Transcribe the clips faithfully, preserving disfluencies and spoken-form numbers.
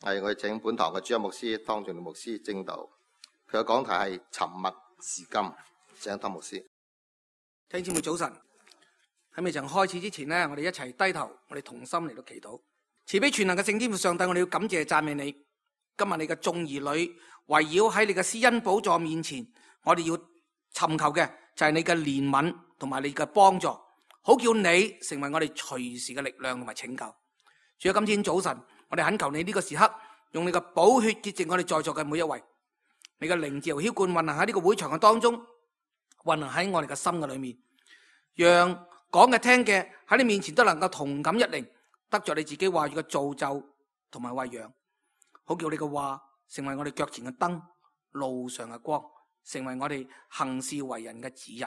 係我哋請本堂嘅主任牧師湯俊牧師證道，佢嘅講題係沉默是金，請湯牧師。弟兄姊妹早晨，喺未曾開始之前呢，我哋一齊低頭，我哋同心嚟到祈禱。慈悲全能嘅聖天父上帝，我哋要感謝讚美你。今日你嘅眾兒女圍繞喺你嘅施恩寶座面前，我哋要尋求嘅就係你嘅憐憫同埋你嘅幫助，好叫你成為我哋隨時嘅力量同埋拯救。主啊，今天早晨我哋懇求你呢個時刻，用你嘅寶血潔淨我哋在座嘅每一位，你嘅靈自由澆灌運行喺呢個會場嘅當中，運行喺我哋嘅心嘅裏面，讓講嘅聽嘅喺你面前都能夠同感一靈，得着你自己話語嘅造就同埋餵養，好叫你嘅話成為我哋腳前嘅燈，路上嘅光，成為我哋行事為人嘅指引。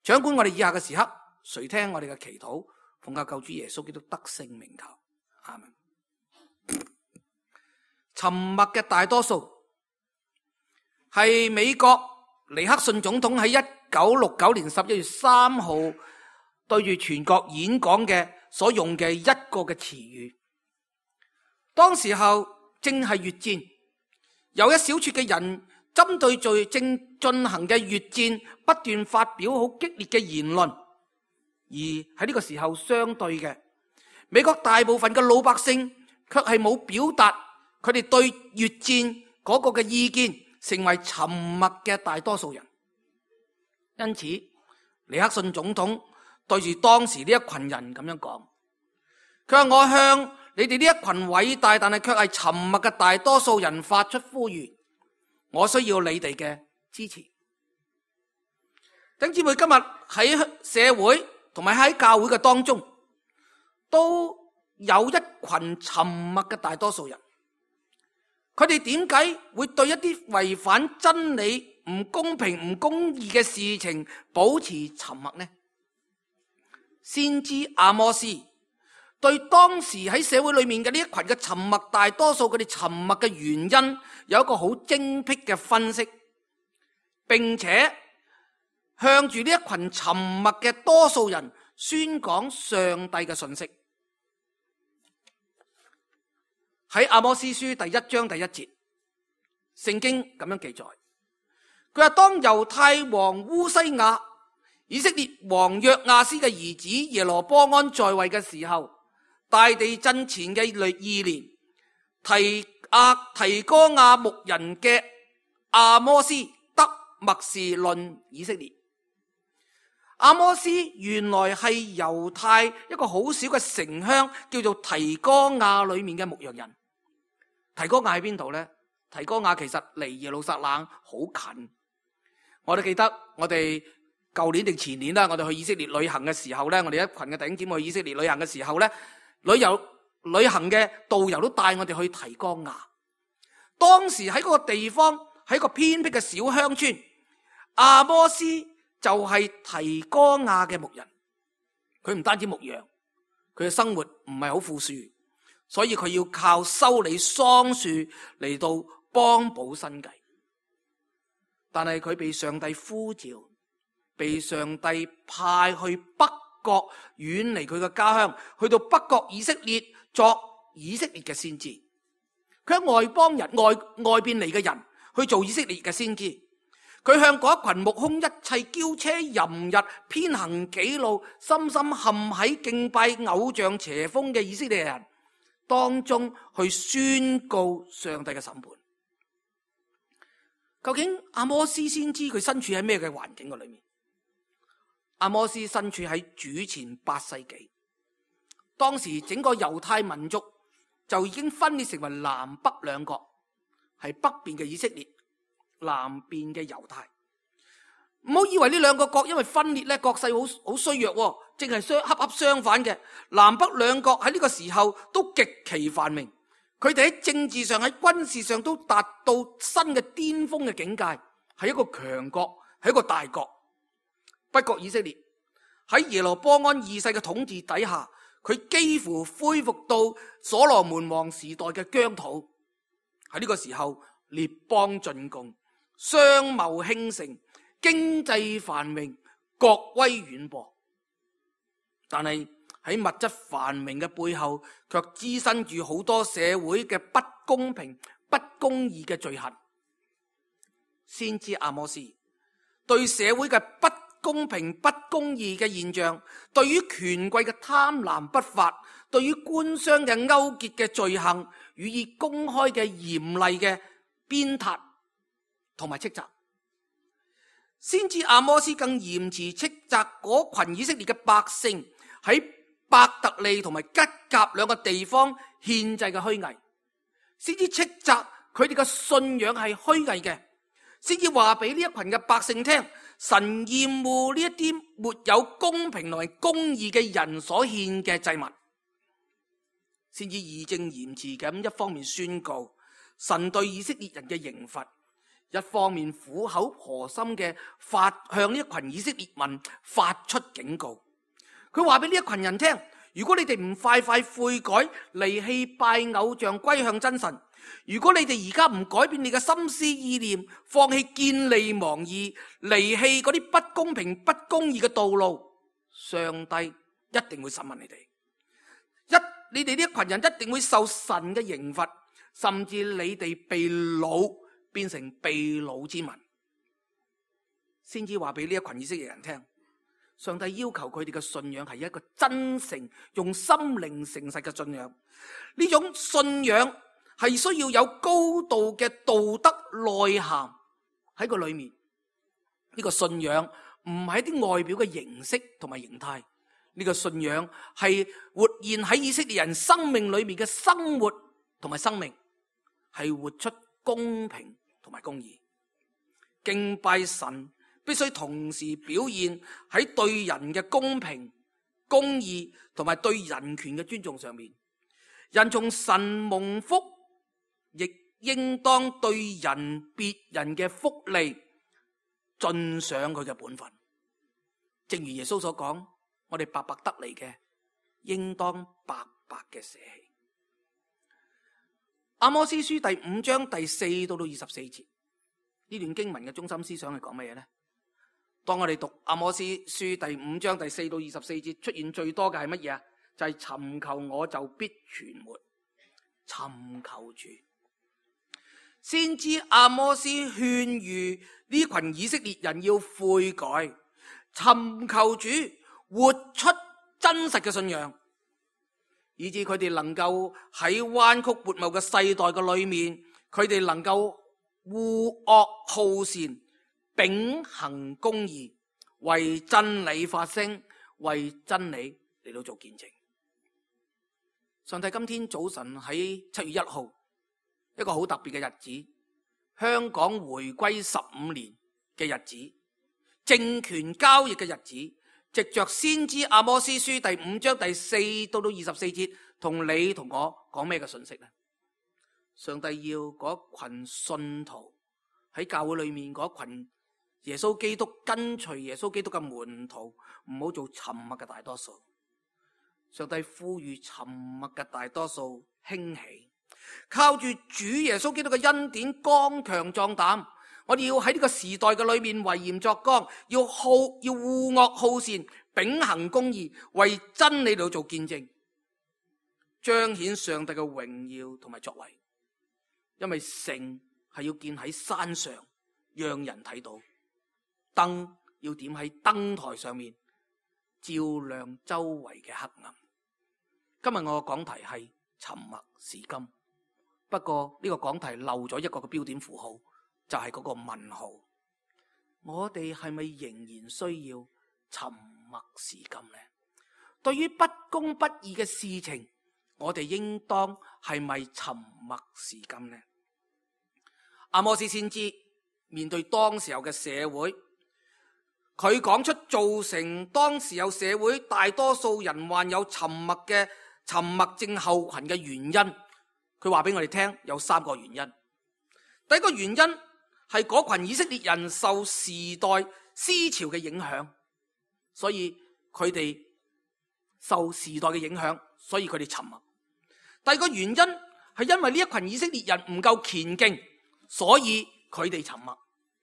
掌管我哋以下嘅時刻，垂聽我哋嘅祈禱，奉靠救主耶穌基督得勝名求，阿門。沉默嘅大多數係美國尼克遜總統喺一九六九年十一月三號對住全國演講嘅所用嘅一個嘅詞語。當時候正係越戰，有一小撮嘅人針對住正進行嘅越戰不斷發表好激烈嘅言論，而喺呢個時候相對嘅美國大部分嘅老百姓卻係冇表達佢哋對越戰嗰個嘅意見，成為沉默嘅大多數人。因此尼克遜總統對住當時呢一群人咁樣講，佢話：我向你哋呢一群偉大但係卻係沉默嘅大多數人發出呼籲，我需要你哋嘅支持。弟兄姊妹，今日喺社會同埋喺教會嘅當中，都有一群沉默嘅大多數人。佢哋點解會對一啲違反真理、唔公平、唔公義嘅事情保持沉默呢？先知阿摩司對當時喺社會裏面嘅呢一群嘅沉默大多數，佢哋沉默嘅原因有一個好精闢嘅分析，並且向住呢一群沉默嘅多數人宣講上帝嘅信息。喺阿摩司書第一章第一節，聖經咁樣記載，佢話：當猶太王烏西亞、以色列王約亞斯嘅兒子耶羅波安在位嘅時候，大地震前嘅二年，提亞提哥亞牧人嘅阿摩司得默示論以色列。阿摩司原來係猶太一個好小嘅城鄉，叫做提哥亞裏面嘅牧羊人。提哥亞喺邊度呢？提哥亞其實離耶路撒冷好近。我哋記得我哋舊年定前年啦，我哋去以色列旅行嘅時候呢，我哋一群嘅弟兄姊妹去以色列旅行嘅時候呢，旅遊旅行嘅導遊都帶我哋去提哥亞。當時喺嗰個地方，喺個偏僻嘅小鄉村，阿摩司就係提哥亞嘅牧人。佢唔單止牧羊，佢嘅生活唔係好富庶，所以佢要靠修理桑樹嚟到幫補生計。但係佢被上帝呼召，被上帝派去北國，遠離佢嘅家鄉，去到北國以色列作以色列嘅先知。佢係外邦人，外外邊嚟嘅人去做以色列嘅先知。佢向嗰一群目空一切、驕奢淫逸、偏行己路、深深陷喺敬拜偶像邪風嘅以色列人當中去宣告上帝嘅審判。究竟阿摩司先知佢身處喺咩嘅環境嘅裏面？阿摩司身處喺主前八世紀，當時整個猶太民族就已經分裂成為南北兩國，係北邊嘅以色列，南邊嘅猶太。唔好以為呢兩個國因為分裂咧，國勢好好衰弱，正係相恰恰相反嘅。南北兩國喺呢個時候都極其繁榮，佢哋喺政治上、喺軍事上都達到新嘅巔峰嘅境界，係一個強國，係一個大國。不過以色列喺耶羅波安二世嘅統治底下，佢幾乎恢復到所羅門王時代嘅疆土。喺呢個時候，列邦進貢，商貿興盛，經濟繁榮，國威遠播。但係喺物質繁榮嘅背後，卻滋生住好多社會嘅不公平、不公義嘅罪行。先知阿摩斯對社會嘅不公平、不公義嘅現象，對於權貴嘅貪婪不法，對於官商嘅勾結嘅罪行，予以公開嘅嚴厲嘅鞭撻同埋斥責。先知阿摩斯更嚴詞斥責嗰群以色列嘅百姓喺伯特利同埋吉甲兩個地方獻祭嘅虛偽，先至斥責佢哋嘅信仰係虛偽嘅，先至話俾呢一群嘅百姓聽，神厭惡呢一啲沒有公平同埋公義嘅人所獻嘅祭物，先至義正言辭咁一方面宣告神對以色列人嘅刑罰，一方面苦口婆心嘅發向呢一群以色列民發出警告。佢話俾呢一群人聽，如果你哋唔快快悔改，離棄拜偶像，歸向真神，如果你哋而家唔改變你嘅心思意念，放棄見利忘義，離棄嗰啲不公平不公義嘅道路，上帝一定會審問你哋。一你哋呢一群人一定會受神嘅刑罰，甚至你哋被擄變成被擄之民。先至話俾呢一群以色列人聽，上帝要求佢哋嘅信仰係一個真誠、用心靈誠實嘅信仰。呢種信仰係需要有高度嘅道德內涵喺個裏面。呢個信仰唔係一啲外表嘅形式同埋形態，呢個信仰係活現喺以色列人生命裏面嘅生活同埋生命，係活出公平同埋公義。敬拜神必須同時表現喺對人嘅公平、公義同埋對人權嘅尊重上面。人從神蒙福，亦應當對人別人嘅福利盡上佢嘅本分。正如耶穌所講，我哋白白得嚟嘅，應當白白嘅捨棄。阿摩司書第五章第四到到二十四節，呢段經文嘅中心思想係講乜嘢呢？當我哋讀阿摩司書第五章第四到二十四節，出現最多嘅係乜嘢啊？就係、是、尋求我就必存活，尋求主。先知阿摩司勸喻呢群以色列人要悔改，尋求主，活出真實嘅信仰，以致佢哋能夠喺彎曲悖謬嘅世代嘅裏面，佢哋能夠惡惡好善，秉行公義，為真理發聲，為真理嚟到做見證。上帝今天早晨喺七月一號，一個好特別嘅日子，香港回歸十五年嘅日子，政權交易嘅日子，藉着先知阿摩司書第五章第四到到二十四節，同你同我講咩嘅信息呢？上帝要嗰群信徒喺教會裏面，嗰群耶穌基督跟隨耶穌基督嘅門徒，唔好做沉默嘅大多數。上帝呼籲沉默嘅大多數興起，靠住主耶穌基督嘅恩典剛強壯膽。我哋要喺呢個時代嘅裏面為鹽作光，要好要惡惡好善，秉行公義，為真理度做見證，彰顯上帝嘅榮耀同埋作為。因為城係要建喺山上，讓人睇到；燈要點喺燈台上面，照亮周圍嘅黑暗。今日我嘅講題係沉默是金，不過呢個講題漏咗一個嘅標點符號，就係嗰個問號。我哋係咪仍然需要沉默是金呢？對於不公不義嘅事情，我哋應當係咪沉默是金呢？阿摩司先知面對當時候嘅社會，佢講出造成當時有社會大多數人患有沉默嘅沉默症候群嘅原因，佢話俾我哋聽有三個原因。第一個原因係嗰群以色列人受時代思潮嘅影響，所以佢哋受時代嘅影響，所以佢哋沉默。第二個原因係因為呢一群以色列人唔夠虔敬，所以佢哋沉默，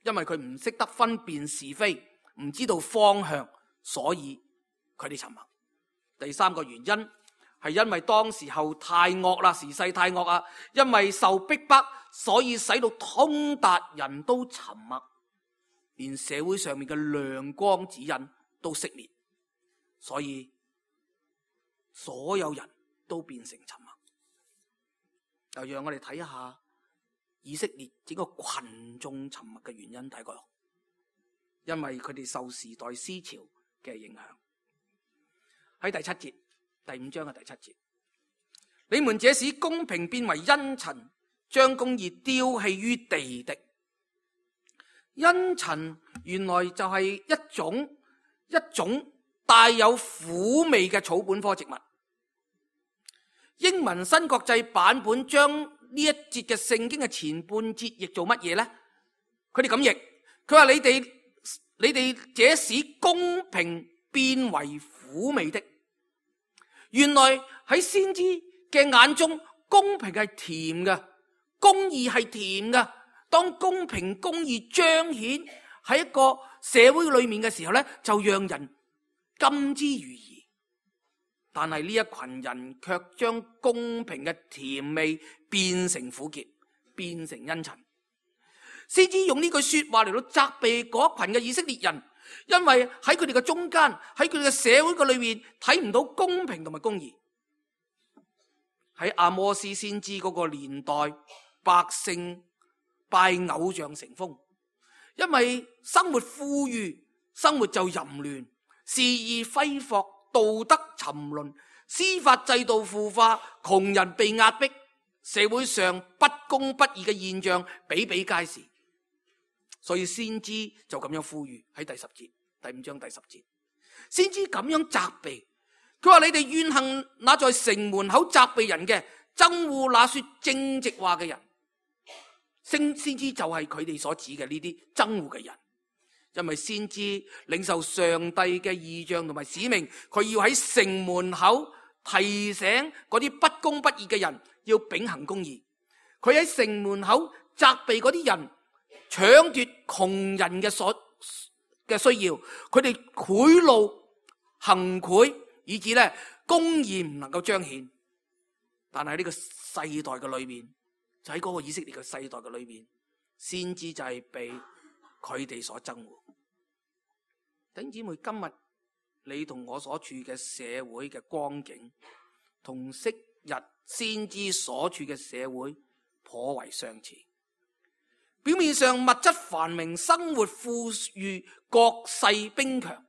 因為佢唔識得分辨是非，唔知道方向，所以佢哋沉默。第三個原因係因為當時候太惡啦，時勢太惡啊，因為受逼迫，所以使到通達人都沉默，連社會上面嘅亮光指引都熄滅，所以所有人都變成沉默。就讓我哋睇一下以色列整個群眾沉默嘅原因，睇過，因為佢哋受時代思潮嘅影響。喺第七節，第五章嘅第七節，你們這使公平變為茵陳，將公義丟棄於地的。茵陳原來就係一種一種帶有苦味嘅草本科植物。英文新國際版本將呢一節嘅聖經嘅前半節譯做乜嘢呢？佢哋咁譯，佢話你哋你哋這使公平變為苦味的。原來喺先知嘅眼中，公平係甜嘅，公義係甜嘅。當公平公義彰顯喺一個社會裏面嘅時候咧，就讓人甘之如飴。但係呢一群人卻將公平嘅甜味變成苦澀，變成茵陳。先知用呢句說話嚟到責備嗰群嘅以色列人，因為喺佢哋嘅中間，喺佢哋嘅社會嘅裏面睇唔到公平同埋公義。喺阿摩司先知嗰個年代，百姓拜偶像成風，因為生活富裕，生活就淫亂，肆意揮霍，道德沉淪，司法制度腐化，窮人被壓迫，社會上不公不義嘅現象比比皆是。所以先知就咁樣呼籲喺第十節，第五章第十節，先知咁樣責備，佢話你哋怨恨那在城門口責備人嘅，憎惡那說正直話嘅人。先先知就係佢哋所指嘅呢啲憎惡嘅人，因為先知領受上帝嘅異象同埋使命，佢要喺城門口提醒嗰啲不公不義嘅人要秉行公義。佢喺城門口責備嗰啲人搶奪窮人嘅所嘅需要，佢哋賄賂行賄，以致咧公義唔能夠彰顯。但係呢個世代嘅裏面，就喺嗰個以色列嘅世代嘅裏面，先知就係被佢哋所憎惡。弟兄姊妹，今日你同我所處嘅社會嘅光景，同昔日先知所處嘅社會頗為相似。表面上物質繁榮，生活富裕，國勢兵強，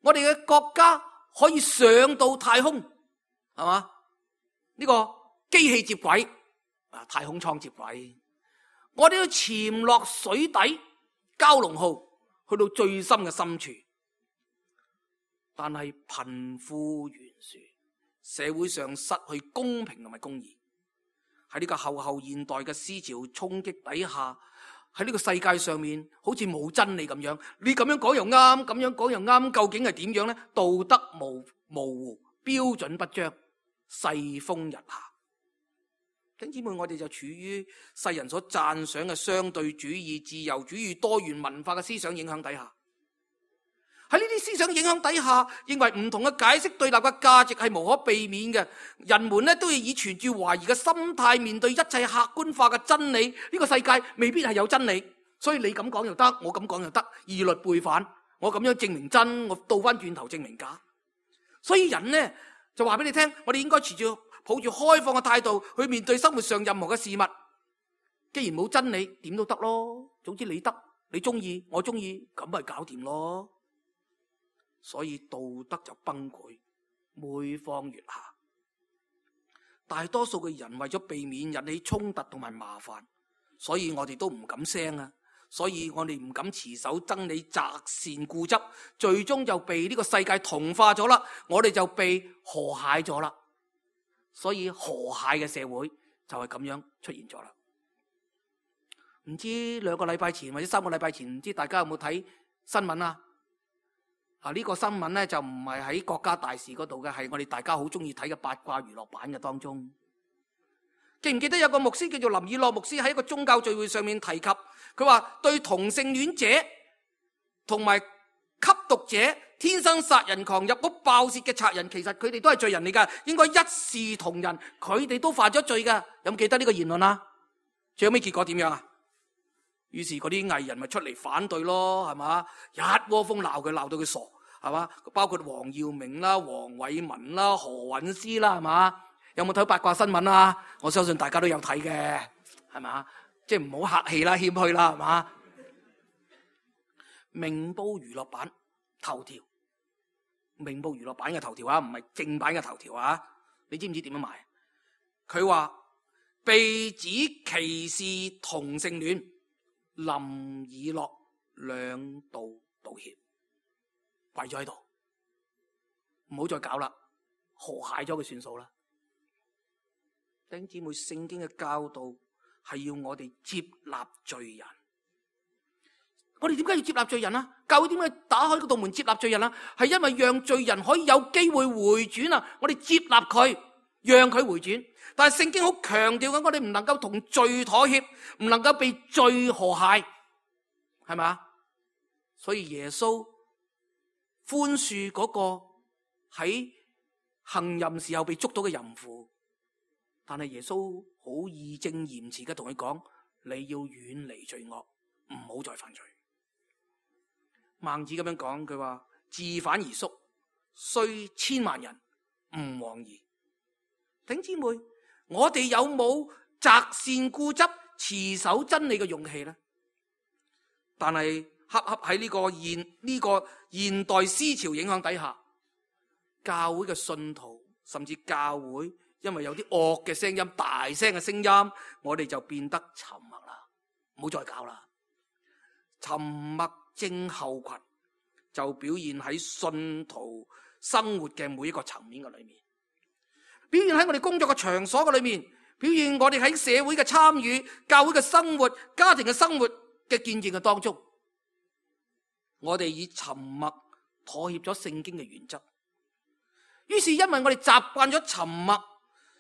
我哋嘅國家可以上到太空，係嘛？呢個機器接軌啊，太空艙接軌，我哋要潛落水底蛟龍號去到最深嘅深處。但係貧富懸殊，社會上失去公平同埋公義。喺呢個後後現代嘅思潮衝擊底下，喺呢個世界上面好似冇真理咁樣，你咁樣講又啱，咁樣講又啱，究竟係點樣呢？道德模模糊，標準不彰，世風日下。弟兄姊妹，我哋就處於世人所讚賞嘅相對主義、自由主義、多元文化嘅思想影響底下。喺呢啲思想影響底下，認為唔同嘅解釋對立嘅價值係無可避免嘅。人們咧都要以存住懷疑嘅心態面對一切客觀化嘅真理。呢個世界未必係有真理，所以你咁講又得，我咁講又得，二律背反。我咁樣證明真，我倒翻轉頭證明假。所以人呢，就話俾你聽，我哋應該持住抱住開放嘅態度去面對生活上任何嘅事物。既然冇真理，點都得咯。總之你得，你中意，我中意，咁咪搞掂咯。所以道德就崩潰，每況愈下。大多數嘅人為咗避免引起衝突同埋麻煩，所以我哋都唔敢聲啊。所以我哋唔敢持守真理，擇善固執，最終就被呢個世界同化咗啦。我哋就被和諧咗啦。所以和諧嘅社會就係咁樣出現咗啦。唔知兩個禮拜前或者三個禮拜前，唔知大家有冇睇新聞啊？啊！呢個新聞咧就唔係喺國家大事嗰度嘅，係我哋大家好中意睇嘅八卦娛樂版嘅當中。記唔記得有個牧師叫做林以諾牧師喺一個宗教聚會上面提及，佢話對同性戀者同埋吸毒者天生殺人狂、入屋爆竊嘅賊人，其實佢哋都係罪人嚟㗎，應該一視同仁。佢哋都犯咗罪㗎。有冇記得呢個言論啊？最後尾結果點樣啊？於是嗰啲藝人咪出嚟反對咯，係嘛？一窩蜂鬧佢，鬧到佢傻，係嘛？包括黃耀明啦、黃偉文啦、何韻詩啦，係嘛？有冇睇八卦新聞啊？我相信大家都有睇嘅，係嘛？即係唔好客氣啦，謙虛啦，係嘛？明報娛樂版頭條，明報娛樂版嘅頭條啊，唔係正版嘅頭條啊！你知唔知點樣賣？佢話被指歧視同性戀，林以樂兩度道歉，跪咗喺度，唔好再搞啦，和諧咗佢算數啦。弟兄姊妹，聖經嘅教導係要我哋接納罪人。我哋點解要接納罪人啊？教會點解打開嗰道門接納罪人啊？係因為讓罪人可以有機會回轉啊！我哋接納佢，讓佢回轉。但係聖經好強調緊，我哋唔能夠同罪妥協，唔能夠被罪和諧，係咪？所以耶穌寬恕嗰個喺行淫時候被捉到嘅淫婦，但係耶穌好義正嚴辭嘅同佢講：你要遠離罪惡，唔好再犯罪。孟子咁樣講，佢話自反而縮，雖千萬人，吾往矣。弟兄姊妹，我哋有冇擇善固執、持守真理嘅勇氣呢？但係恰恰喺呢個現呢、這個現代思潮影響底下，教會嘅信徒甚至教會，因為有啲惡嘅聲音、大聲嘅聲音，我哋就變得沉默啦，唔好再搞啦。沉默症候群就表現喺信徒生活嘅每一個層面嘅裏面，表現喺我哋工作嘅場所嘅裏面，表現我哋喺社會嘅參與、教會嘅生活、家庭嘅生活嘅見證嘅當中，我哋以沉默妥協咗聖經嘅原則。於是因為我哋習慣咗沉默，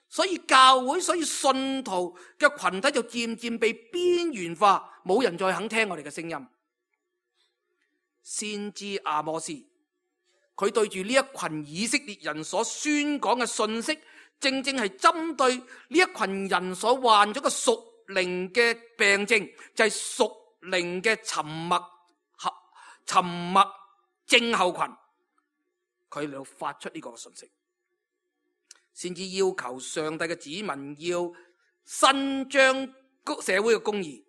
所以教會、所以信徒嘅群體就漸漸被邊緣化，冇人再肯聽我哋嘅聲音。先知阿摩司，佢對住呢一群以色列人所宣講嘅信息，正正係針對呢一群人所患咗嘅屬靈嘅病症，就係屬靈嘅沉默沉默症候群。佢嚟到發出呢個信息，先至要求上帝嘅子民要伸張社會嘅公義，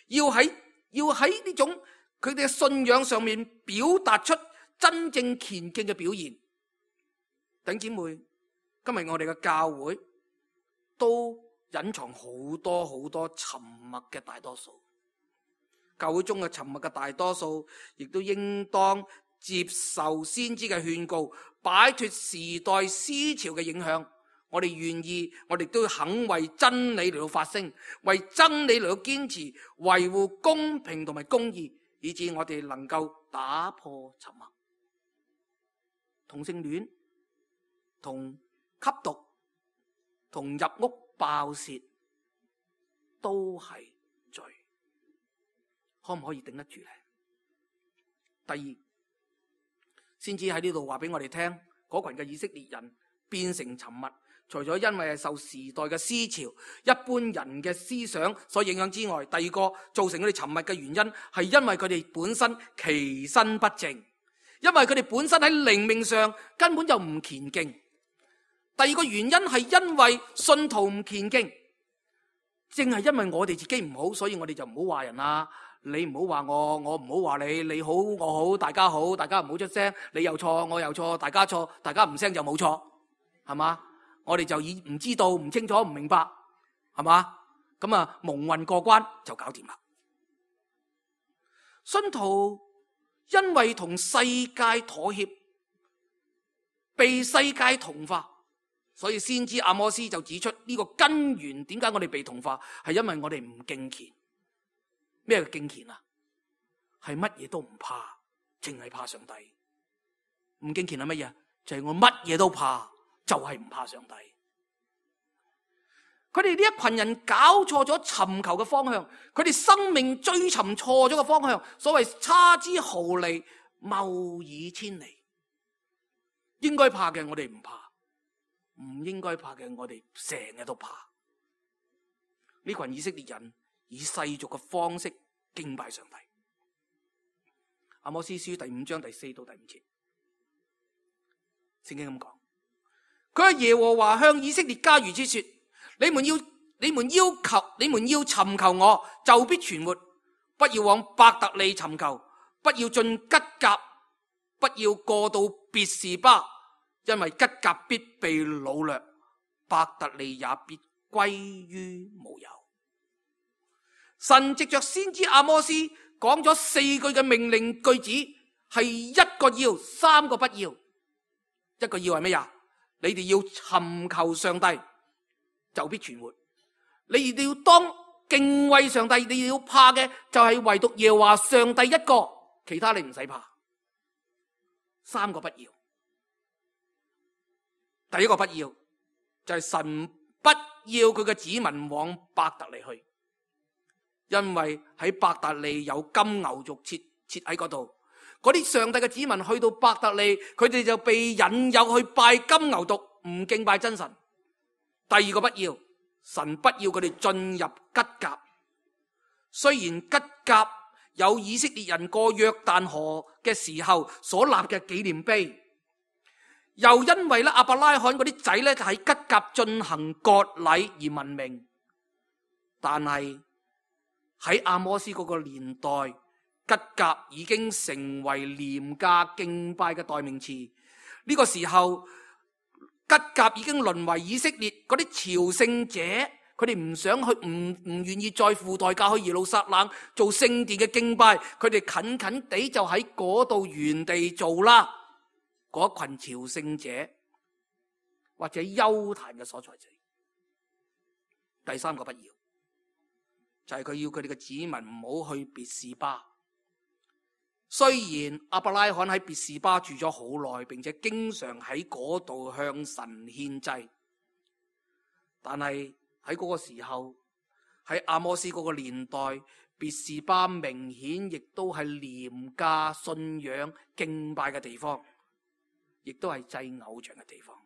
要喺要喺呢種佢哋嘅信仰上面表達出真正虔敬嘅表現。弟兄姊妹，今日我哋嘅教會都隱藏好多好多沉默嘅大多數，教會中嘅沉默嘅大多數，亦都應當接受先知嘅勸告，擺脫時代思潮嘅影響。我哋願意，我哋都肯為真理嚟到發聲，為真理嚟到堅持，維護公平同埋公義，以致我哋能夠打破沉默。同性戀、同吸毒、同入屋爆竊都係罪，可唔可以頂得住呢？第二，先至喺呢度話俾我哋聽，嗰群嘅以色列人變成沉默，除咗因為係受時代嘅思潮、一般人嘅思想所影響之外，第二個造成佢哋沉默嘅原因係因為佢哋本身其身不正，因為佢哋本身喺靈命上根本就唔虔敬。第二個原因係因為信徒唔虔敬，正係因為我哋自己唔好，所以我哋就唔好話人啦。你唔好話我，我唔好話你，你好我好，大家好，大家唔好出聲，你又錯我又錯，大家錯，大家唔聲就冇錯，係嘛？我哋就以唔知道、唔清楚、唔明白，係嘛？咁啊蒙混過關就搞掂啦。信徒因為同世界妥協，被世界同化，所以先知阿摩司就指出呢個根源，點解我哋被同化，係因為我哋唔敬虔。咩叫敬虔啊？係乜嘢都唔怕，淨係怕上帝。唔敬虔係乜嘢？就係我乜嘢都怕，就係唔怕上帝。佢哋呢一群人搞錯咗尋求嘅方向，佢哋生命追尋錯咗嘅方向。所謂差之毫厘，謬以千里。應該怕嘅我哋唔怕，唔應該怕嘅我哋成日都怕。呢群以色列人以世俗嘅方式敬拜上帝。阿摩司書第五章第四到第五節，聖經咁講，佢話耶和華向以色列家如此說：你們要你們要求你們要尋求我，就必存活。不要往伯特利尋求，不要進吉甲，不要過到別是巴，因為吉甲必被擄掠，伯特利也必歸於無有。神藉着先知阿摩司講咗四句嘅命令句子，係一個要，三個不要。一個要係咩呀？你哋要尋求上帝，就必存活。你哋要當敬畏上帝，你哋要怕嘅就係唯獨耶和華上帝一個，其他你唔使怕。三個不要。第一個不要就係神不要佢嘅子民往伯特利去，因為喺伯特利有金牛犢設設喺嗰度。嗰啲上帝嘅子民去到伯特利，佢哋就被引誘去拜金牛犢，唔敬拜真神。第二個不要，神不要佢哋進入吉甲。雖然吉甲有以色列人過約旦河嘅時候所立嘅紀念碑，又因為咧亞伯拉罕嗰啲仔咧喺吉甲進行割禮而聞名，但係喺阿摩司嗰個年代，吉甲已經成為廉價敬拜嘅代名詞。呢個時候，吉甲已經淪為以色列嗰啲朝聖者，佢哋唔想去，唔唔願意再付代價去耶路撒冷做聖殿嘅敬拜，佢哋近近地就喺嗰度原地做啦。嗰群朝聖者或者丘壇嘅所在者。第三個不要，就係佢要佢哋嘅子民唔好去別是巴。雖然亞伯拉罕喺別是巴住咗好耐，並且經常喺嗰度向神獻祭，但係喺嗰個時候，喺阿摩司嗰個年代，別是巴明顯亦都係廉價信仰敬拜嘅地方，亦都係祭偶像嘅地方。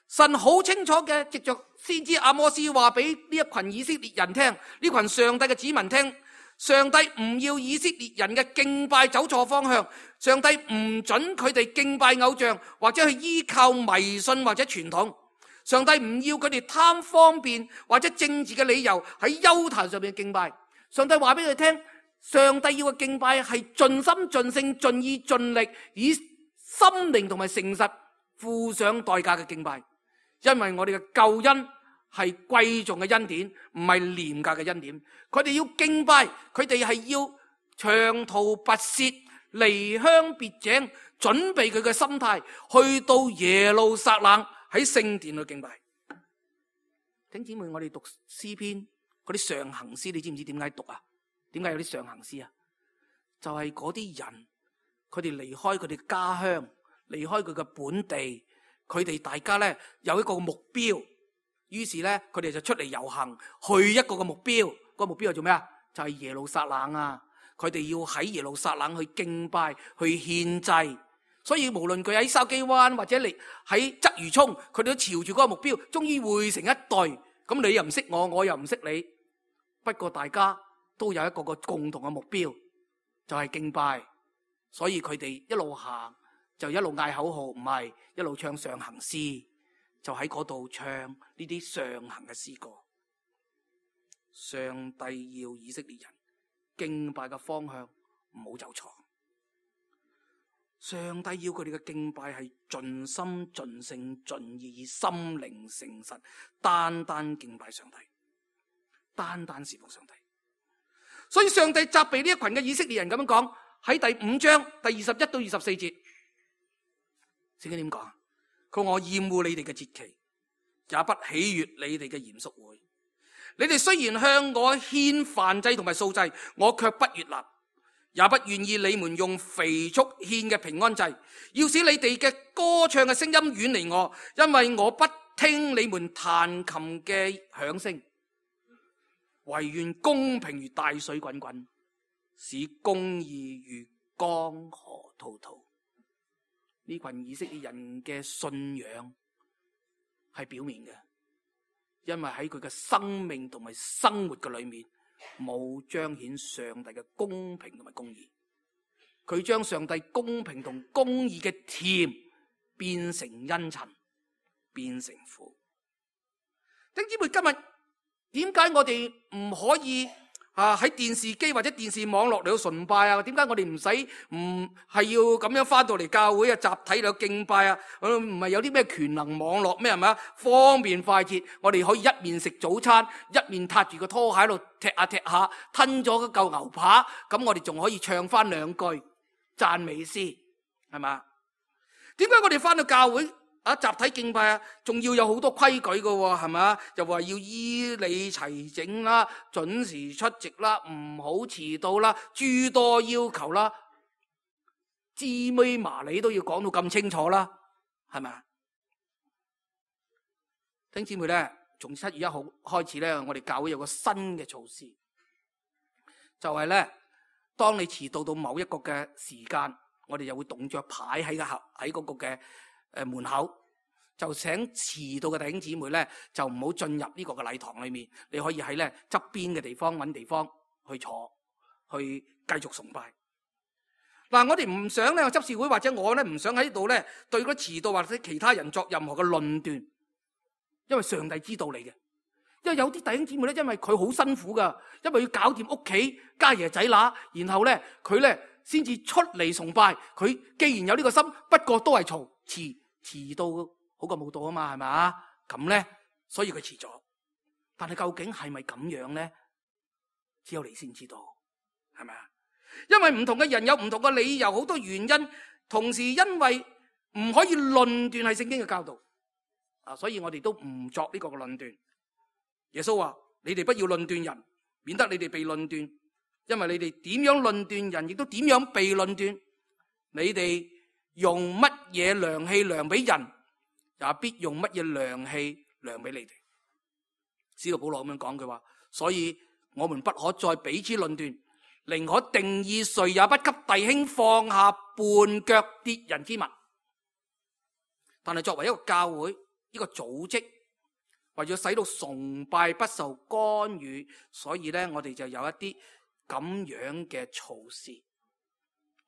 神好清楚嘅，藉着先知阿摩司話俾呢一群以色列人聽，呢群上帝嘅子民聽，上帝唔要以色列人嘅敬拜走錯方向，上帝唔准佢哋敬拜偶像，或者去依靠迷信或者傳統。上帝唔要佢哋貪方便或者政治嘅理由喺丘壇上面敬拜。上帝話俾佢聽，上帝要嘅敬拜係盡心盡性盡意盡力，以心靈同埋誠實付上代價嘅敬拜。因為我哋嘅救恩係貴重嘅恩典，唔係廉價嘅恩典。佢哋要敬拜，佢哋係要長途跋涉離鄉別井，準備佢嘅心態去到耶路撒冷喺聖殿去敬拜。弟兄姊妹，我哋讀詩篇嗰啲上行詩，你知唔知點解讀啊？點解有啲上行詩啊？就係嗰啲人，佢哋離開佢哋家鄉，離開佢嘅本地，佢哋大家咧有一個目標，於是咧佢哋就出嚟遊行，去一個嘅目標。個目標係做咩啊？就係耶路撒冷啊！佢哋要喺耶路撒冷去敬拜，去獻祭。所以無論佢喺筲箕灣或者你喺鰂魚涌，佢哋都朝住嗰個目標，終於匯成一隊。咁你又唔識我，我又唔識你，不過大家都有一個個共同嘅目標，就係敬拜。所以佢哋一路行就一路嗌口號，唔係一路唱上行詩，就喺嗰度唱呢啲上行嘅詩歌。上帝要以色列人敬拜嘅方向唔好走錯。上帝要佢哋嘅敬拜係盡心盡性盡意，心靈誠實，單單敬拜上帝，單單侍奉上帝。所以上帝責備呢一群嘅以色列人咁樣講，喺第五章第二十一到二十四節，聖經點講？佢話我厭惡你哋嘅節期，也不喜悅你哋嘅嚴肅會。你哋雖然向我獻燔祭同埋素祭，我卻不悅納，也不願意你們用肥畜獻嘅平安祭，要使你哋嘅歌唱嘅聲音遠離我，因為我不聽你們彈琴嘅響聲。唯願公平如大水滾滾，使公義如江河滔滔。呢群以色列人嘅信仰係表面嘅，因為喺佢嘅生命同埋生活嘅裏面冇彰顯上帝嘅公平同埋公義。佢將上帝公平同公義嘅甜變成茵蔯，變成苦。弟兄姊妹，今日點解我哋唔可以啊喺電視機或者電視網絡嚟到崇拜啊？點解我哋唔使唔係要咁樣翻到嚟教會啊？集體嚟到敬拜啊？唔係有啲咩權能網絡咩係咪啊？方便快捷，我哋可以一面食早餐，一面踏住個拖鞋喺度踢下踢下，吞咗嚿牛扒，咁我哋仲可以唱翻兩句讚美詩，係嘛？點解我哋翻到教會啊集體敬拜啊，仲要有好多規矩㗎喎，係嘛？又話要依理齊整啦，準時出席啦，唔好遲到啦，諸多要求啦，芝麻麻你都要講到咁清楚啦，係咪？弟兄姊妹咧，從七月一號開始咧，我哋教會有個新嘅措施，就係咧，當你遲到到某一個嘅時間，我哋就會動著牌喺個喺嗰個嘅誒門口，就請遲到嘅弟兄姊妹咧，就唔好進入呢個嘅禮堂裏面，你可以喺咧側邊嘅地方揾地方去坐，去繼續崇拜。嗱，我哋唔想咧執事會或者我咧唔想喺度咧對嗰遲到或者其他人作任何嘅論斷，因為上帝知道你嘅。因為有啲弟兄姊妹咧，因為佢好辛苦噶，因為要搞掂屋企家爺仔乸，然後咧佢咧先至出嚟崇拜。佢既然有呢個心，不過都係嘈遲遲到好過冇到啊嘛，係咪啊？咁咧，所以佢遲咗。但係究竟係咪咁樣咧？只有你先知道，係咪啊？因為唔同嘅人有唔同嘅理由，好多原因，同時因為唔可以論斷係聖經嘅教導啊，所以我哋都唔作呢個嘅論斷。耶穌話：你哋不要論斷人，免得你哋被論斷。因為你哋點樣論斷人，亦都點樣被論斷。你哋用乜嘢量器量俾人，也必用乜嘢量器量俾你哋。使徒保羅咁樣講，佢話：所以我們不可再彼此論斷，寧可定意誰也不給弟兄放下絆腳跌人之物。但係作為一個教會，一個組織，為咗使到崇拜不受干預，所以咧我哋就有一啲咁樣嘅措施，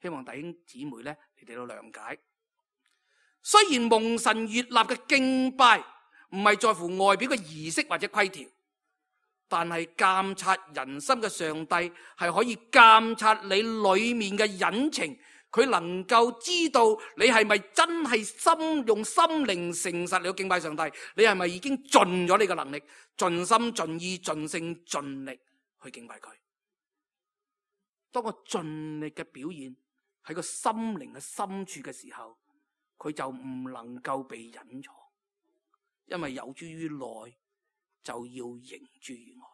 希望弟兄姊妹咧你哋都諒解。雖然蒙神悅納嘅敬拜唔係在乎外表嘅儀式或者規條，但係監察人心嘅上帝係可以監察你裏面嘅隱情。佢能夠知道你係咪真係心用心靈誠實嚟到敬拜上帝，你係咪已經盡咗你嘅能力，盡心盡意盡性盡力去敬拜佢。當我盡力嘅表現喺個心靈嘅深處嘅時候，佢就唔能夠被隱藏，因為有諸於內就要形諸於外。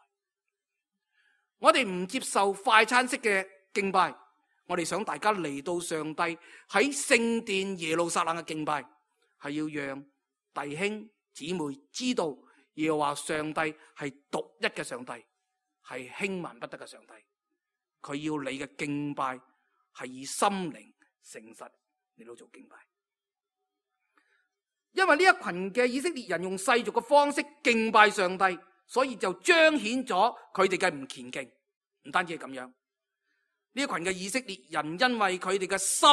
我哋唔接受快餐式嘅敬拜，我哋想大家嚟到上帝喺聖殿耶路撒冷嘅敬拜，係要讓弟兄姊妹知道耶和華上帝係獨一嘅上帝，係輕慢不得嘅上帝。佢要你嘅敬拜係以心靈誠實嚟到做敬拜。因為呢一群嘅以色列人用世俗嘅方式敬拜上帝，所以就彰顯咗佢哋嘅唔虔敬。唔單止係咁樣，呢一群嘅以色列人因為佢哋嘅心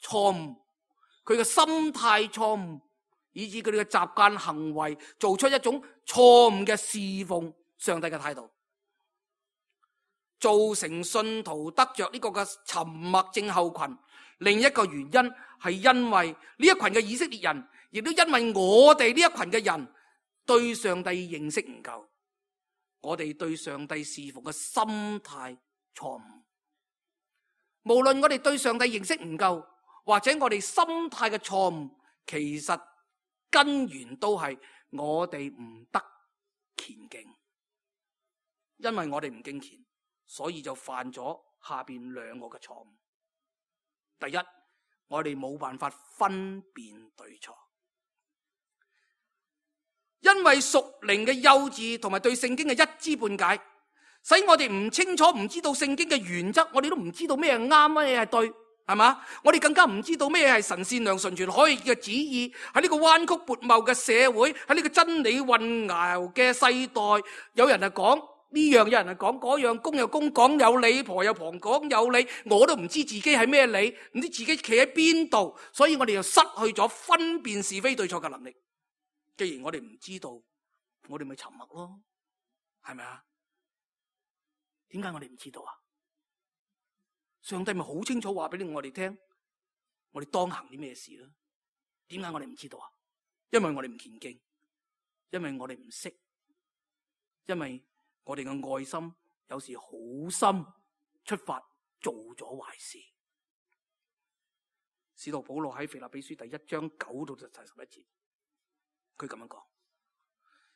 錯誤，佢嘅心態錯誤，以致佢哋嘅習慣行為做出一種錯誤嘅侍奉上帝嘅態度，造成信徒得着呢個嘅沉默症候群。另一個原因係因為呢一群嘅以色列人，亦都因為我哋呢一群嘅人對上帝認識唔夠，我哋對上帝侍奉嘅心態錯誤。無論我哋對上帝認識唔夠，或者我哋心態嘅錯誤，其實根源都係我哋唔得虔敬。因為我哋唔敬虔，所以就犯咗下邊兩個嘅錯誤。第一，我哋冇辦法分辨對錯，因為屬靈嘅幼稚同埋對聖經嘅一知半解，使我哋唔清楚，唔知道聖經嘅原則，我哋都唔知道咩係啱，咩係對，係嘛？我哋更加唔知道咩係神善良純全可以嘅旨意。喺呢個彎曲悖謬嘅社會，喺呢個真理混淆嘅世代，有人係講呢樣，有人係講嗰樣，公有公講有理，婆有婆講有理，我都唔知自己係咩理，唔知自己企喺邊度，所以我哋又失去咗分辨是非對錯嘅能力。既然我哋唔知道，我哋咪沉默咯，係咪啊？點解我哋唔知道啊？上帝咪好清楚話俾我哋聽，我哋當行啲咩事啦？點解我哋唔知道啊？因為我哋唔虔敬，因為我哋唔識，因為我哋嘅愛心有時好心出發做咗壞事。使徒保羅喺腓立比書第一章九到第十一節，佢咁樣講。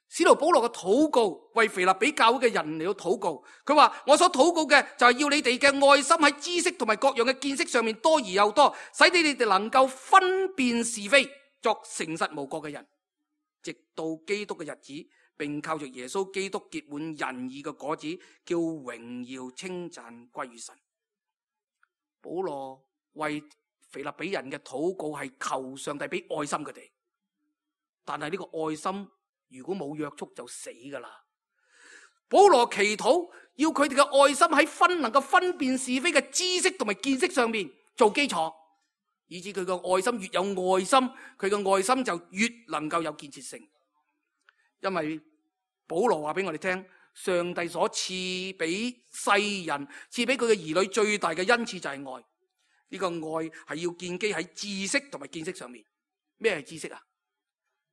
使徒保羅嘅禱告，為腓立比教會嘅人嚟到禱告。佢話：我所禱告嘅就係要你哋嘅愛心喺知識同埋各樣嘅見識上面多而又多，使你哋能夠分辨是非，作誠實無過嘅人，直到基督嘅日子，並靠着耶穌基督結滿仁義嘅果子，叫榮耀稱讚歸於神。保羅為腓立比人嘅禱告係求上帝俾愛心佢哋，但係呢個愛心如果冇約束就死噶啦。保羅祈禱要佢哋嘅愛心喺分能夠分辨是非嘅知識同埋見識上面做基礎，以致佢嘅愛心越有愛心，佢嘅愛心就越能夠有建設性。因為保羅話俾我哋聽，上帝所賜俾世人，賜俾佢嘅兒女最大嘅恩賜就係愛。呢個愛係要建基喺知識同埋見識上面。咩係知識啊？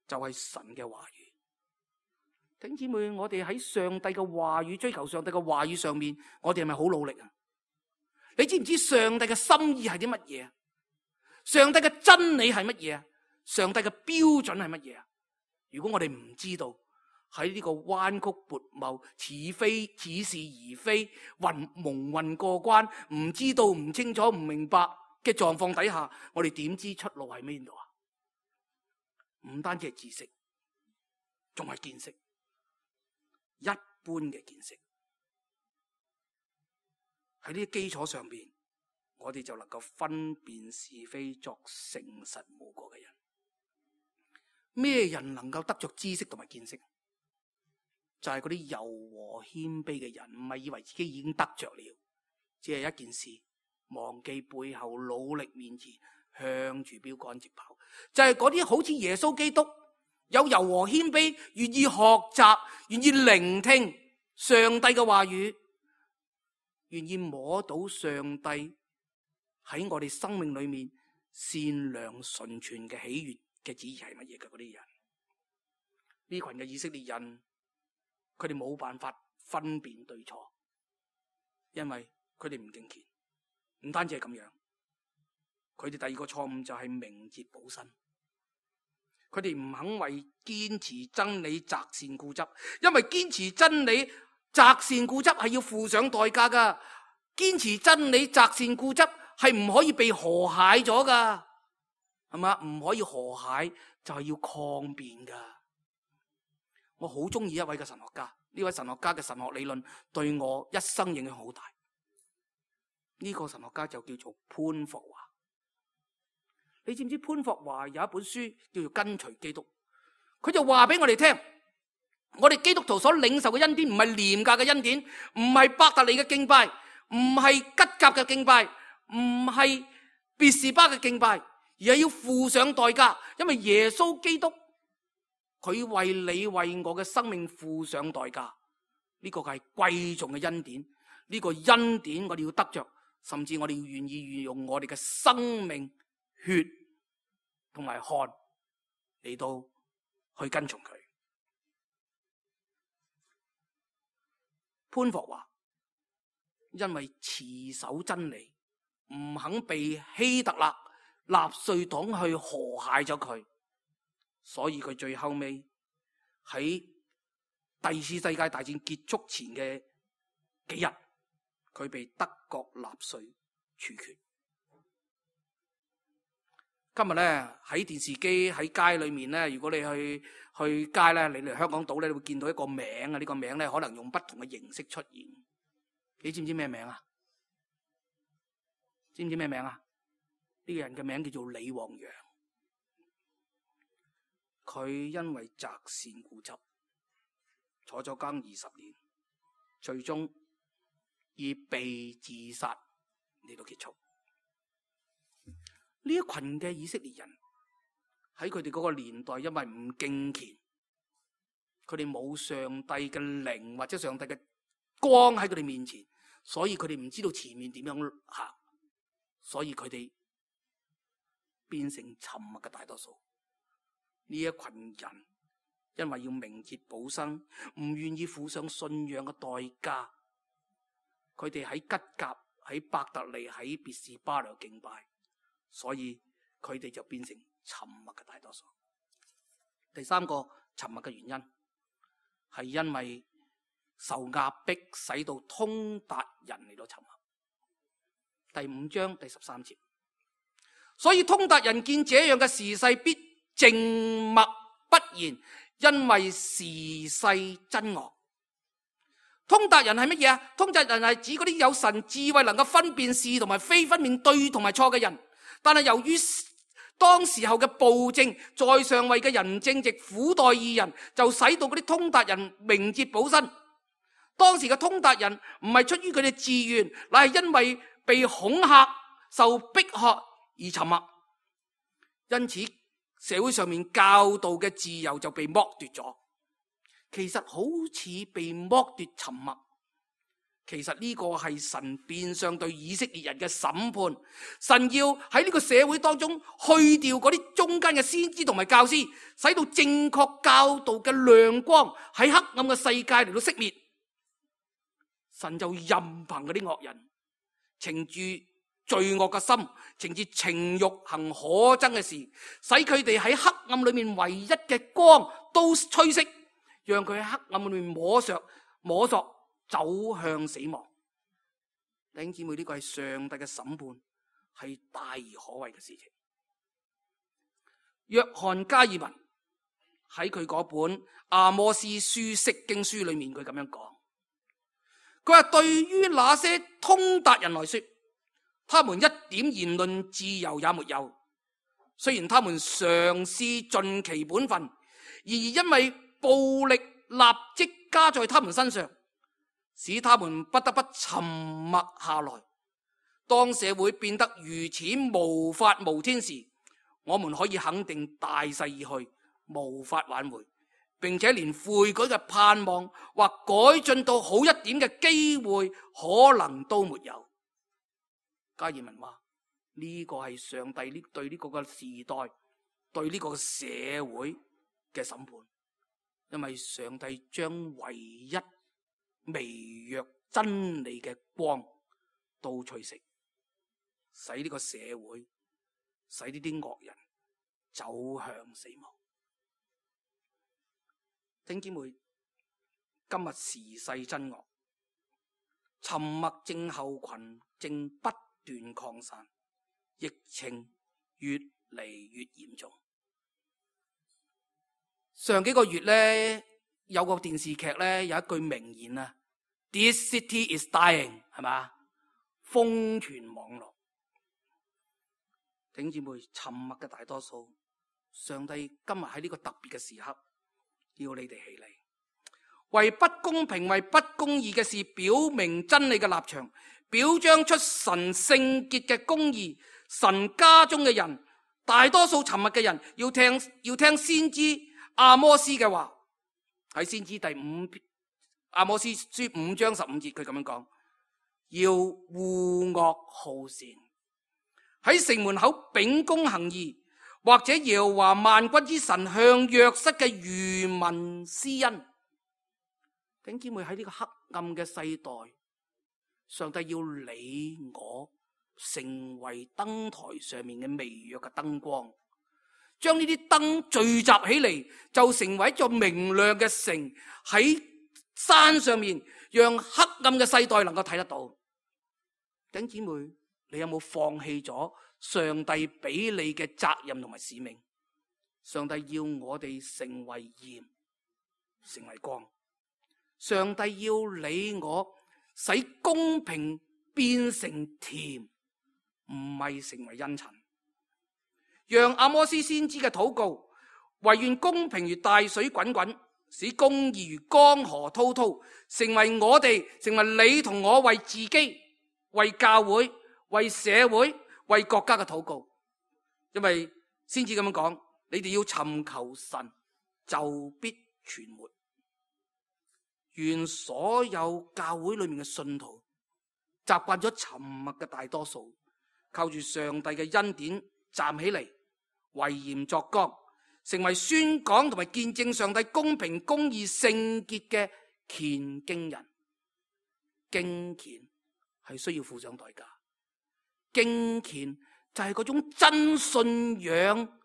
就係神嘅話語。弟兄姊妹，我哋喺上帝嘅話語，追求上帝嘅話語上面，我哋係咪好努力啊？你知唔知上帝嘅心意係啲乜嘢啊？上帝嘅真理係乜嘢啊？上帝嘅標準係乜嘢啊？如果我哋唔知道，喺呢個彎曲悖謬、似非似是而非、混蒙混過關，唔知道、唔清楚、唔明白嘅狀況底下，我哋點知出路喺邊度啊？唔單止係知識，仲係見識。一般嘅見識，喺呢啲基礎上邊，我哋就能夠分辨是非，作誠實無過嘅人。咩人能夠得着知識同埋見識？就係嗰啲柔和謙卑嘅人，唔係以為自己已經得着了，只係一件事，忘記背後，努力面前，向住標杆直跑。就係嗰啲好似耶穌基督，有柔和謙卑，願意學習，願意聆聽上帝嘅話語，願意摸到上帝喺我哋生命裏面善良純全嘅喜悅嘅旨意係乜嘢嘅嗰啲人。呢群嘅以色列人，佢哋冇辦法分辨對錯，因為佢哋唔敬虔。唔單止係咁樣，佢哋第二個錯誤就係明哲保身。佢哋唔肯為堅持真理擇善固執，因為堅持真理擇善固執係要付上代價噶。堅持真理擇善固執係唔可以被和諧咗噶，係嘛？唔可以和諧就係要抗辯噶。我好中意一位嘅神學家，呢位神學家嘅神學理論對我一生影響好大。呢個神學家就叫做潘霍華。你知唔知潘霍華有一本書叫做《跟隨基督》？佢就話俾我哋聽，我哋基督徒所領受嘅恩典唔係廉價嘅恩典，唔係伯特利嘅敬拜，唔係吉甲嘅敬拜，唔係別是巴嘅敬拜，而係要付上代價。因為耶穌基督佢為你為我嘅生命付上代價，呢個係貴重嘅恩典。呢個恩典我哋要得着，甚至我哋要願意運用我哋嘅生命、血同埋汗嚟到去跟從佢。潘霍華因為持守真理，唔肯被希特勒納粹黨去和諧咗佢，所以佢最後尾喺第二次世界大戰結束前嘅幾日，佢被德國納粹處決。今日咧喺電視機喺街裏面咧，如果你去去街咧，你嚟香港島咧，你會見到一個名啊！呢個名咧可能用不同嘅形式出現。你知唔知咩名啊？知唔知咩名啊？呢個人嘅名叫做李旺陽。佢因為擇善固執，坐咗監二十年，最終以被自殺嚟到結束。呢一群嘅以色列人喺佢哋嗰個年代，因為唔敬虔，佢哋冇上帝嘅靈或者上帝嘅光喺佢哋面前，所以佢哋唔知道前面點樣行，所以佢哋變成沉默嘅大多數。呢一群人因為要明哲保身，唔願意付上信仰嘅代價，佢哋喺吉甲、喺伯特利、喺別是巴嚟敬拜，所以佢哋就變成沉默嘅大多數。第三個沉默嘅原因係因為受壓迫，使到通達人嚟到沉默。第五章第十三節，所以通達人見這樣嘅時勢，必靜默不言，因為時勢真惡。通達人係乜嘢啊？通達人係指嗰啲有神智慧，能夠分辨是同埋非，分辨對同埋錯嘅人。但係由於當時候嘅暴政，在上位嘅人正直苦待義人，就使到嗰啲通達人明哲保身。當時嘅通達人唔係出於佢哋自願，乃係因為被恐嚇、受迫害而沉默。因此社會上面教導嘅自由就被剝奪咗。其實好似被剝奪沉默，其實呢個係神變相對以色列人嘅審判。神要喺呢個社會當中去掉嗰啲中間嘅先知同埋教師，使到正確教導嘅亮光喺黑暗嘅世界嚟到熄滅。神就任憑嗰啲惡人逞住罪惡嘅心，逞住情欲行可憎嘅事，使佢哋喺黑暗裏面唯一嘅光都吹熄，讓佢喺黑暗裏面摸索摸索走向死亡。弟兄姊妹，呢個係上帝嘅審判，係大而可畏嘅事情。約翰加爾文喺佢嗰本阿摩司書釋經書裏面，佢咁樣講，佢話對於那些通達人來說，他們一點言論自由也沒有，雖然他們嘗試盡其本分，然而因為暴力立即加在他們身上，使他們不得不沉默下來。當社會變得如此無法無天時，我們可以肯定大勢已去，無法挽回，並且連悔改嘅盼望或改進到好一點嘅機會可能都沒有。加爾文話呢個係上帝呢對呢個嘅時代，對呢個社會嘅審判，因為上帝將唯一微弱真理嘅光都吹熄，使呢個社會，使呢啲惡人走向死亡。弟兄姊妹，今日時勢真惡，沉默症候群正不斷擴散，疫情越嚟越嚴重。上幾個月咧，有個電視劇咧，有一句名言啊 ，This city is dying， 係嘛？瘋傳網絡。弟兄姊妹，沉默嘅大多數，上帝今日喺呢個特別嘅時刻，要你哋起嚟，為不公平、為不公義嘅事表明真理嘅立場，表彰出神聖潔嘅公義。神家中嘅人，大多數沉默嘅人，要聽要聽先知阿摩司嘅話。喺先知第五阿摩司書五章十五節，佢咁樣講：要惡惡好善，喺城門口秉公行義，或者耶和華萬軍之神向約瑟嘅餘民施恩。弟兄姊妹，喺呢個黑暗嘅世代，上帝要你我成為燈台上面嘅微弱嘅燈光，將呢啲燈聚集起嚟，就成為一座明亮嘅城，喺山上面，讓黑暗嘅世代能夠睇得到。弟兄姊妹，你有冇放棄咗上帝俾你嘅責任同埋使命？上帝要我哋成為鹽，成為光。上帝要你我使公平變成甜，唔係成為茵蔯。讓阿摩斯先知嘅禱告，惟願公平如大水滾滾，使公義如江河滔滔，成為我哋，成為你同我為自己、為教會、為社會、為國家嘅禱告。因為先知咁樣講，你哋要尋求神，就必存活。願所有教會裏面嘅信徒習慣咗沉默嘅大多數，靠住上帝嘅恩典站起嚟，為鹽作光，成為宣講同埋見證上帝公平公義聖潔嘅虔敬人。敬虔係需要付上代價，敬虔就係嗰種真信仰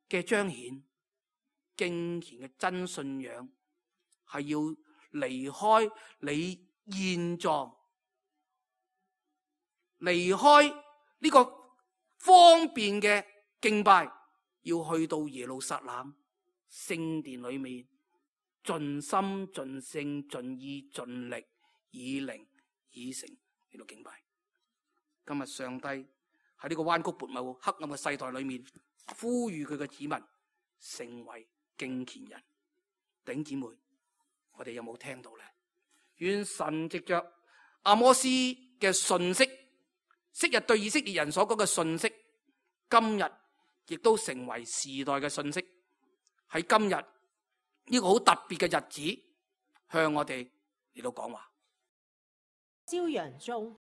嘅彰顯。敬虔嘅真信仰係要離開你現狀，離開呢個方便嘅敬拜，要去到耶路撒冷聖殿裏面，盡心盡性盡意盡力，以靈以誠嚟到敬拜。今日上帝喺呢個彎曲悖謬黑暗嘅世代裏面，呼籲佢嘅子民成為敬虔人。弟兄姊妹，我哋有冇聽到呢？願神藉着阿摩斯嘅信息，昔日對以色列人所講嘅信息，今日亦都成為時代嘅信息。喺今日呢個好特別嘅日子，向我哋嚟到講話。朝陽中。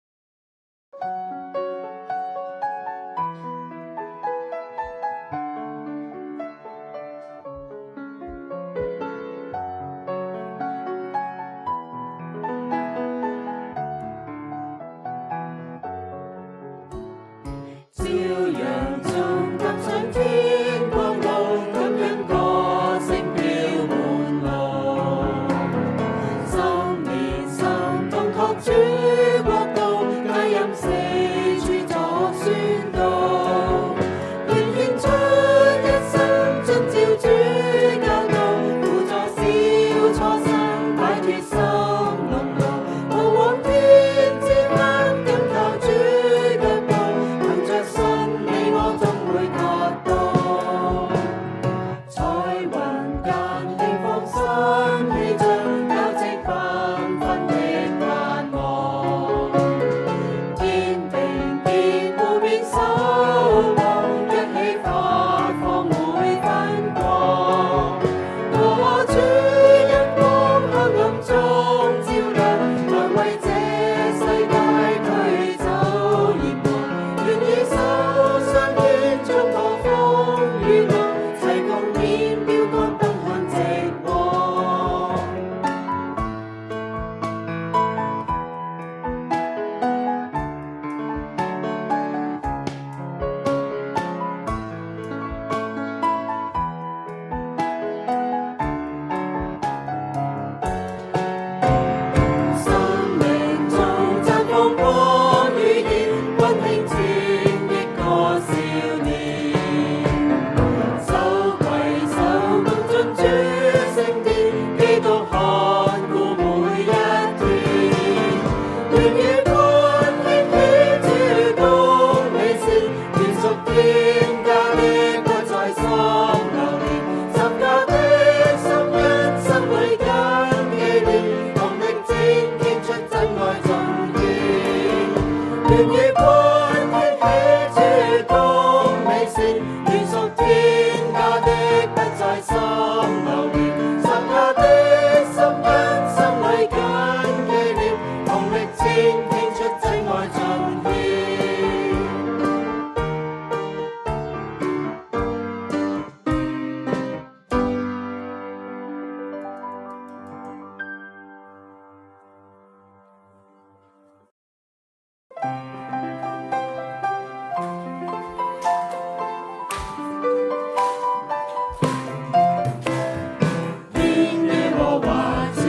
因耶和華賜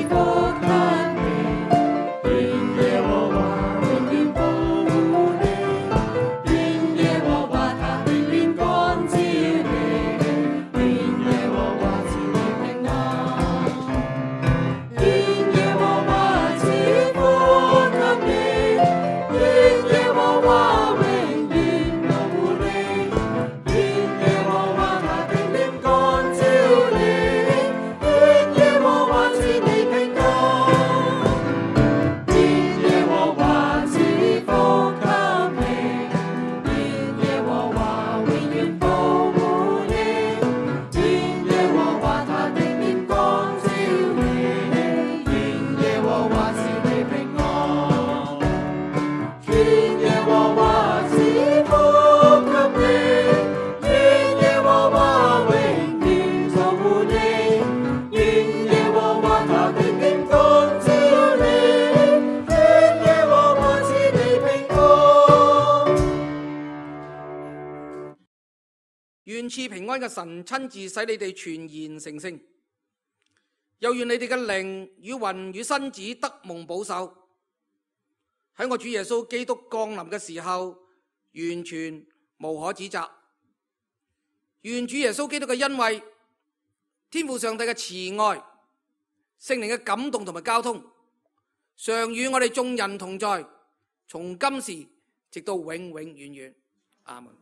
福給你，願耶和賜平安嘅神親自使你哋全然成聖，又願你哋嘅靈與魂與身子得蒙保守，喺我主耶穌基督降臨嘅時候完全無可指責。願主耶穌基督嘅恩惠、天父上帝嘅慈愛、聖靈嘅感動同埋交通，常與我哋眾人同在，從今時直到永永遠遠。阿門。